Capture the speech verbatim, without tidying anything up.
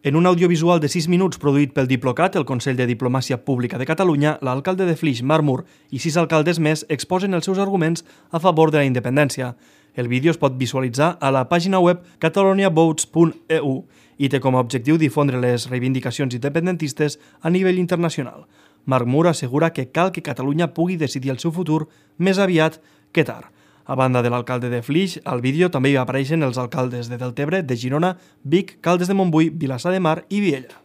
En un audiovisual de sis minuts produït pel Diplocat, el Consell de Diplomàcia Pública de Catalunya, l'alcalde de Flix, Marc Mur, i sis alcaldes més exposen els seus arguments a favor de la independència. El vídeo es pot visualitzar a la pàgina web catalonia votes punt e u i té com a objectiu difondre les reivindicacions independentistes a nivell internacional. Marc Mur assegura que cal que Catalunya pugui decidir el seu futur més aviat que tard. A banda de l'alcalde de Flix, al vídeo també hi apareixen els alcaldes de Deltebre, de Girona, Vic, Caldes de Montbui, Vilassar de Mar i Viella.